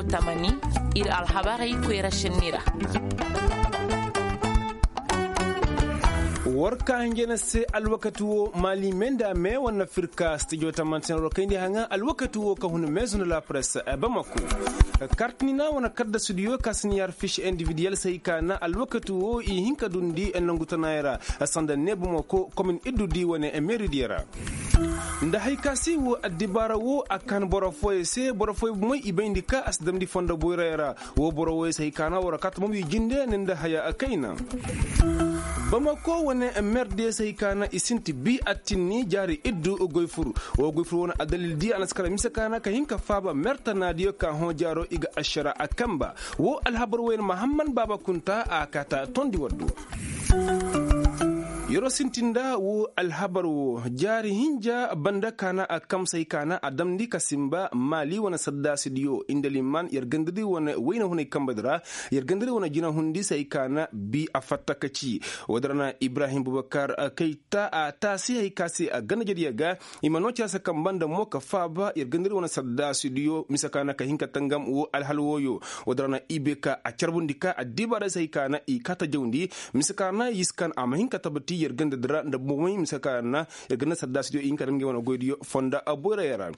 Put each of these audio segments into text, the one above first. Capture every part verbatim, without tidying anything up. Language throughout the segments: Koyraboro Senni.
Tamani, ir alhabarey koyra šenni ra. War ka hinjana se alwakati wo maali me nda me wane firka stijo tamantin war kayndi haŋa alwakati wo ka hun meezu nda la presse bamako. Kartinina wane kaddasudiyo ka siniyar fiš individiyel se hay ka na alwakati wo i hin ka dundi nangu tanaayey ra sanda neebu mako komin iddudi wane meeridiyo ra. Nda hay ka se wo addibaara wo a kan boro fooyey se boro fooyey bomey i bayndi ka a si damndi fondo boyray ra. Wo boro wooyey se hay ka na war kaata momo i jinde ni nda haya kayna. Bamako wane merdiyo se hay ka na i sinti bi attinni jaari iddu goy fur. Wo goy fur wane addalil di a na si kara mise ka na ka hin ka faaba mertanaadiyo ka hõ jaaro i ga ašara a kamba. Wo alhabar wooyey na mahamman baaba kunta a kaata tondi waddu. Yer'o sinti nda wo alhabar wo jaari hinja banda ka na a kamsay ka na a damndi ka sinba maali wane saddaasidiyo indaliman yer gandadi wane wayna hunay kambadi ra. Yer gandadi wane jinahundi se hay ka na bi a fatta ka ci. Woodin ra na ibrahim bubakar kayta a taasi hay ka se a ganda jediya ga. I ma noo cere se kamba nda mo ka faaba yer gandadi wane saddaasidiyo mise ka na ka hin ka tangam wo alhal wooyo. Woodin ra na i bay ka a carbundi ka addibaarey se hay ka na i kaata jawndi. Mise ka na yiskan a ma hin ka tabati yer gandadi ra nda bomey mise ka na yer ganda saddaasidiyo i hin ka daŋ ngey wane goydiyo fonda boyray ra.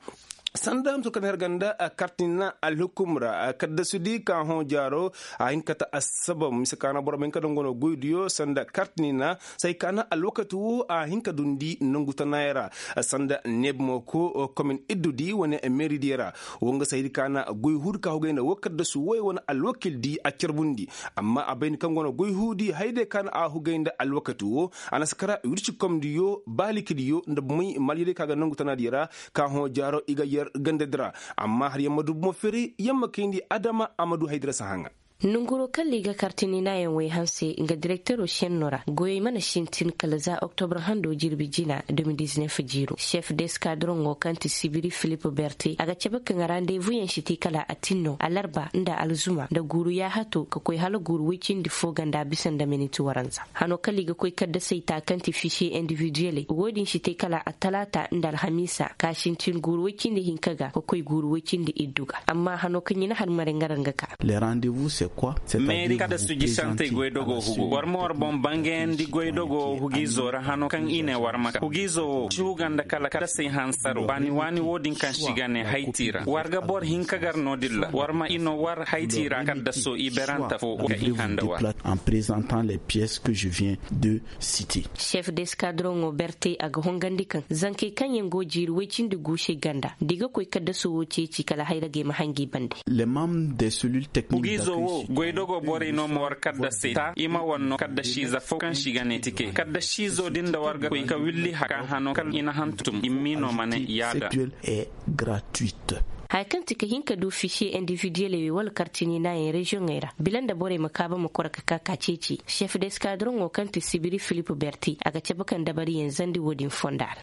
Sanda muso kaŋ yer ganda kartina alhukum ra kaddasudi ka hõ jaaro a hin ka ta assabab mise ka na boro ma hin ka daŋ wane goydiyo sanda kartinina se hay ka na alwakati wo a hin ka dundi nangu tanaayey ra. Sanda neeb mo ko komin iddudi wane meeridiyo ra. Wo nga se hay di ka na goy huudi ka hugay nda wo kaddasu woy wane alwakildi a carbundi. Amma a bay ni kaŋ go no goy huudi haydey ka na a hugay nda alwakati wo. A na si kara wirci komdiyo baalikidiyo nda bomey malyadey ka ga nangu tanaadiyo ra. Ka hõ jaaro i ga yer gandadi ra. Amma har yer ma du bomo firi yer ma kayndi adama a ma du haydira si haŋa. Nonguroo kaŋ liiga kartini naayaŋ woy hanse nga direkteroo šenno ra goyey mana sintin kala za oktobre hando jirbi jina. Deux mille dix-neuf jiiroo šef deskadroŋo kaŋ ti sibiri filip berte a ga cabe kaŋ randevuyaŋ si te kala atinno alarba nda alzuma nda guuru yaahato ka koy hala guuru woy cindi fo ganda bisa nda miniti waranza. Hano kala i ga koy kaddasey ta kaŋ ti fisiye individiyeley wo-din si te kala atalaata nda alhamiisa ka sintin guuru woy cindi hinka ga ka koy guuru woy cindi iddu ga. Amma hano kaŋ i na har mare nga ra nga ka. Meeri kaddasu jisantey goydogoo hugo war ma war boŋ bangayandi goydogoo hugiizoo ra hano kaŋ i ne war ma ka hugiizoo wo si huga nda kala kaddasey hansaro waani waani wo-din kaŋ si ga ne hayti ra war ga boro hinka gar no-din ra war ma i no war hayti ra kaddasoo i beranta fo ka i handa war. Šef deskadroŋo berte a ga hongandi kaŋ zankey kaŋ yaŋ go jiiri woy cindi guusey ganda da i ga koy kaddaso wo ceeci kala hayragey ma hangi bande. Hugiizo wo goydogo borey no ma war kaddasey ta i ma war no kaddasiize fo kaŋ si ga ne tike kaddasiizo din da war ga koy ka willi haka hano kal i na hantum i m'i no ma ne yaada. Haya kaŋ ti ka hin ka du fisiye individiyeley wala kartini naayaŋ reziyoŋey ra bila nda borey ma kaaba ma kora ka ka ka ceeci šef deskadroŋo kaŋ ti sibiri filip berte a ga cabe kaŋ dabariyaŋ zandi wo-din fonda ra.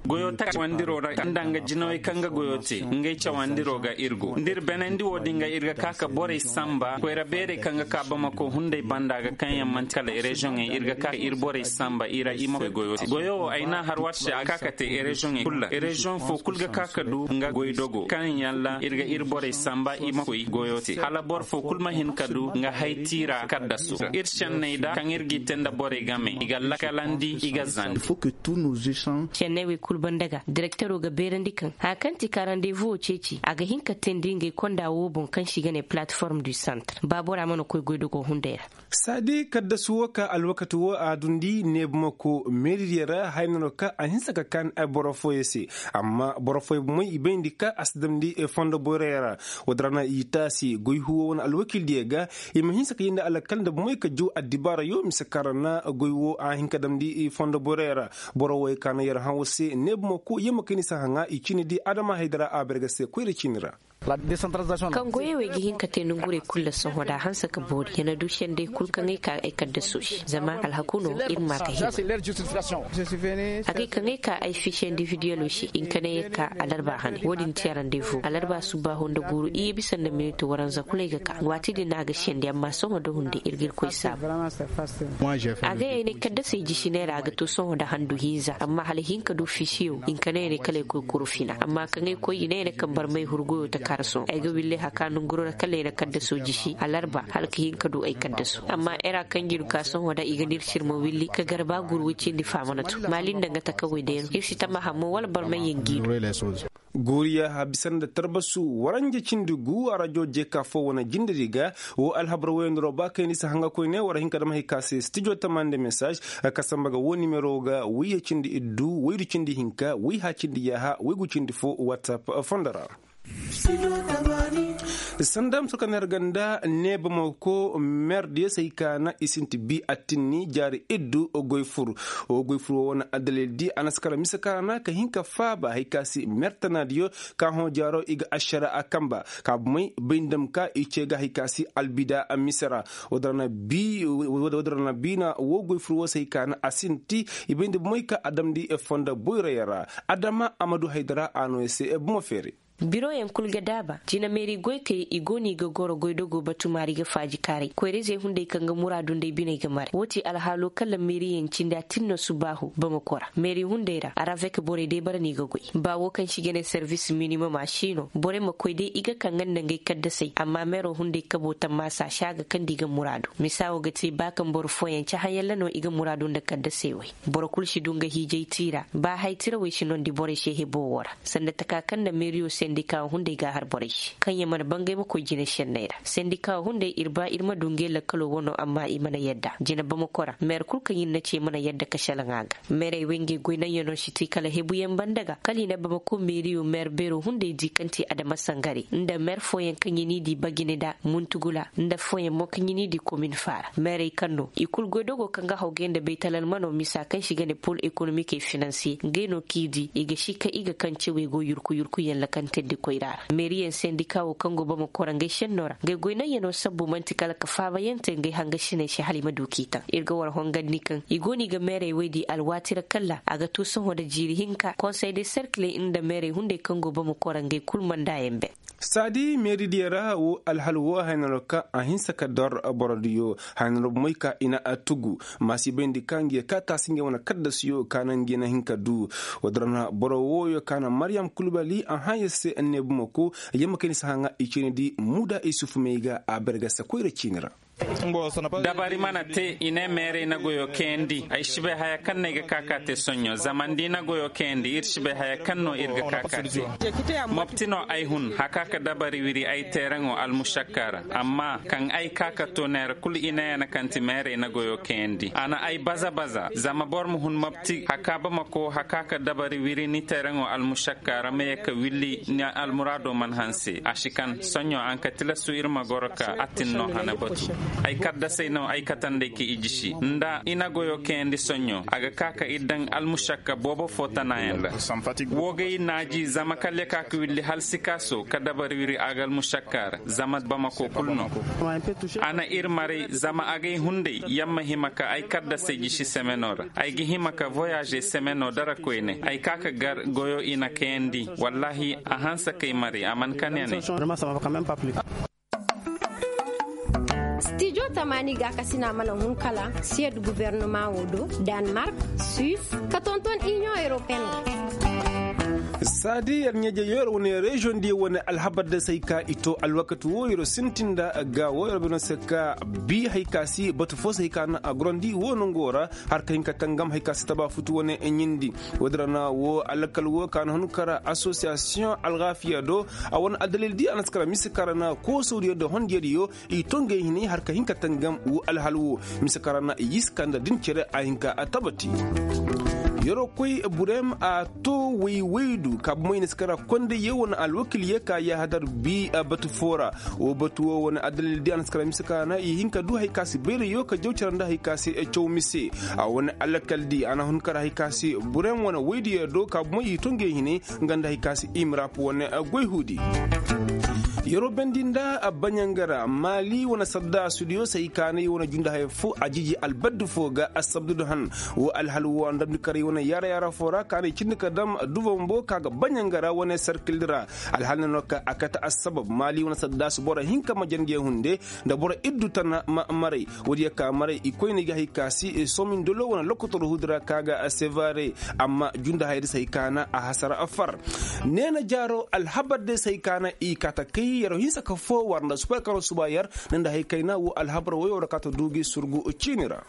Goyo ta cawandiroo ra nda nga jinawey kaŋ ga goyo te ngey cawandiroo ga ir go nda ir benandi wo-din ga ir ga ka ka borey samba koyra beerey kaŋ ga ka bamako hunday banda ga kaŋ yaŋ man'ti kala reziyoŋey ir ga ka ka ir borey samba i ra i ma koy goyo te goyo wo ay n'a har war se a ka ka te reziyoŋey kul ra reziyoŋ fo kul ga ka ka du nga goydogo kaŋ yaŋ ra ir ga ir borey samba i ma koy goyo te hala boro fo kul ma hin ka du nga hay tiira kaddaso ir senney da kaŋ ir g'i te nda borey game i ga lakalandi i ga zandi. Senney wey kul banda ga direktero ga beerandi kaŋ haya kaŋ ti ka randevu wo ceeci a ga hin ka teendi ngey konda wo boŋ kaŋ se i ga ne plateforme du centre ba bora mana koy goydogo hunday ra. Saadi kaddasu wo ka alwakati wo a dundi neebumako meeridiyo ra hayna no ka a hinsa ka kaan boro fooyey se. Amma boro fooyey bomey i bayndi ka a si damndi fondo boyroyo ra. Woodin ra na i taasi goy huwo wane alwakildiyo ga i ma hinsa ka yee nda alkal nda bomey ka jaw addibaarayo mise kaŋ ra na goy wo a hin ka damndi fondo boyroyo ra. Boro wooyey ka na yer hã war se neebumako yer ma kay ni si haŋa i ciini di adama haydara a berge se koyra ciini ra. Kaŋ goyey wey ga hin ka te nongurey kul ra sohõ da a hanse ka boori ya na du sendey kul kaŋ ay ka ay kaddaso se zama alhaku no ir ma ka hima. Agay kaŋ ay ka ay fiche individuelo se hinka ne ay ka alarba hane wo-din ti arandevu alarba subbaaho nda guuru iyye bisa nda miniti waranza kul ay ga ka waati din no a ga sendi amma sohõ da hunde ir ga ir koy saabu. Agay ay ne kaddasey jisiney ra a ga to sohõ nda handu hinza amma hala hinka du ficheyo hinka ne ay ne kala ay koy kuru fina amma kaŋ ay koy i ne ay ne kaŋ barmay huru goyo ta. Ay ga wille haka nonguroo ra kala ay na kaddaso jisi alarba hala ka hin ka du ay kaddaso amma era kaŋ jir ka sohõ da i ga nir sirma willi ka garba guru way cindi faamana to maali nda nga takawey day no ir si tama hammo wala barmayyaŋ gi du. Guuriya habisa nda tarbasu waranja cindi gu arajo jeka fo wane jindiri ga wo alhabar woyandiro ba kayni si hanga koyne war hinka dama hay ka se stijo tamande message ka samba ga wo nimero ga wayye cindi iddu waydu cindi hinka wayha cindi yaaha waygu cindi fo whatsapp fondo ra. Sanda muso ka neer ganda neeba mo ko meer diyo se hay ka na i sinti bi attinni jaari iddu goy fur. Wo goy fur wo wane addalil di a na si kara mise ka ra na ka hin ka faaba hay ka si meer tana diyo ka hõ jaaro i ga ašara a kamba ka bumay bay nda ma ka i ce ga hay ka si albida mise ra. Wo dira na bi na wo goy fur wo se hay ka na a sinti i bay nda bumay ka a damndi fondo boyra yaŋ ra. Adama a ma du haydara a no ya se bumo feeri. Biroyaŋ kul ga daaba jina meeri goykey i go no i ga goro goydogo batu maari ga faaji kaaray koyra-izey hunday kaŋ ga muraadu nda ay biney ga maray woo ti alhaalo kala meeriyaŋ cindi a tin no subaahu bamako ra meeri hunday ra aravek borey day bara no i ga goy. Ba woo kaŋ se i ga ne servis minimom a si no borey ma koy day i ga kaŋ nga nda ngey kaddasey amma meero hunday kabo tammaasa se a ga kande i ga muraadu misa woo ga te ba kaŋ boro fooyaŋ cahã yalla no i ga muraadu nda kaddasey wey. Boro kul si du nga hiijay tiira ba hay tirawey si nondi borey se hebo woo ra sanda taka kaŋ nda meeriyo sendika wo hunday ga a har borey se kaŋ ya mana bangay ma koy jine senney ra sendika wo hunday ir ba ir ma du ngey lakkalo wano amma i mana yadda jine bamako ra meer kul kaŋ ir na ce mana yadda ka salaŋ a ga. Meerey wey ngey goy naŋ ya no si ti kala hebuyaŋ banda ga kala i na bamako meeriyo meer beero hunday di kaŋ ti adama sangare nda meer fooyaŋ kaŋ ya n'i di bagine nda muntugula nda fooyaŋ mo kaŋ ya n'i di komin faara meerey kaŋ no i kul goydogo kaŋ ga haw gay nda baytalalmano misa kaŋ se i ga ne pol ekonomik e finansiye ngey no kaŋ i di i ga si kaŋ i ga kaŋ cewey go yurku yurkuyaŋ lakantandi koyra ra meeriyaŋ sendika wo kaŋ go bamako ra ngey senno ra ngey goy naŋ ya no sabbu man'ti kala ka faabayaŋ te ngey hangasiney se hala i ma du k'i taŋ ir ga war hongandi kaŋ i go no i ga meerey wey di alwaati ra kalla a ga too sohõ nda jiiri hinka konsey de serkiley nda meerey hunday kaŋ go bamako ra ngey kul mandayaŋ ben. Saadi meeri diya ra wo alhal wo haynaro kaŋ a hinsa ka dor boro diyo haynaro bomoy ka i na a tugu maasi bayndi ka ngi ya ka taasi ngi wane kaddasiyo ka na ngi na hin ka du. Woo din ra na boro wooyo ka na maryam kulbali a hã ya se anneebu ma ko yamma kay ni si hã ŋaa i ciini di muuda isufu may ga a bargasa koyra ciini ra. Dabari mana te i ne meerey na goyo kayandi ay si bay haya kaŋ no ay ga ka ka te soɲɲo zama nda i na goyo kayandi ir si bay haya kaŋ no ir ga ka ka te. Mopti no ay hun haka ka dabari wiri ay teeraŋo almušakka ra amma kaŋ ay ka ka to neera kulu i ne ya na kaŋ ti meerey na goyo kayandi a na ay baza baza zama boro ma hun mopti haka bamako haka ka dabari wiri ni teeraŋo almušakka ra ma ye ka willi ni almuraado mana hanse a si kaŋ soɲɲo a na ka tilastu ir ma goro ka attin no hana batu. Ay kaddasey no ay katandey ka i jisi nda i na goyo kayandi soɲɲo a ga ka ka ir daŋ almušakka boobo fo tanayaŋ ra. Woo gay naaji zama kala ya ka ka willi halsikaaso ka dabari wiri a ga almušakka ra zama bamako kulu no. A na ir maray zama agay hunday yamma hima ka ay kaddasey jisi semeno ra ay ga hima ka voyaaze semeno dara koyne ay ka ka gar goyo i na kayandi. Wallaahi a hanse kay maray a mana kane ne. Stijo tamaani gaakasina mana hun kala siyed gubernama wo do, danmark, suis, ka tonton iniyoŋ europeen. Saadi yer ɲeeje yer wane reziyoŋ diyo wane alhabar da se ay ka i to alwakati wo yer sintin nda ga wo yer bino se ka bi hay ka si batu fo se hay ka na a gorandi wo nongo ra. Har ka hin ka tangam hay ka si taba futu wane ɲindi. Woo din ra na wo alakal wo ka na hun kara asosiyasiyoŋ algaafiya do. A wane addalil di a na si kara mise kara na koosodiyo nda hondiyo diyo i to ngey hinay har ka hin ka tangam wo alhal wo. Mise kara na i si ka nda din cere a hin ka a tabati. Yeroo koy burem a to way waydu ka bumay na si kara konday ye wane alwakil ye ka yaahadar bi batu fo ra. Wo batu wo wane addalil di a na si kara mise kara na i hin ka du hay ka si bayray yo ka jaw cere nda hay ka si caw mise. A wane alakal di a na hun kara hay ka si burem wane waydu ye do ka bumay i to ngey hinay nga nda hay ka si imirap wane goy huudi. Yeroo bendi nda baɲangara maali wane sadda sudiyo se hay ka na i wane junda haya fo a jiji albaddu fo ga assabdudu han. Wo alhal wo a na damndi karay. Yara yara foo ra ka na i cindi ka dam duva bumbo ka ga baɲa nga ra wane sarkil di ra. Alhal ne no ka a kate assabab maali wane saddaasi boro hinka ma jandiyaŋ hunde nda boro iddu tana maray. Woodiyo ka maray i koyne i ga hay ka si somindolo wane lokotor huudi ra ka ga sevare. Amma junda hayadi se hay ka na a hasara far. Neena jaaro alhabar day se hay ka na i kaata kay yar hinsa ka foo war nda suba yar ka no suba yar. Ne nda hay kayna woo alhabar woyoo ra ka ta du gi surgu ciini ra.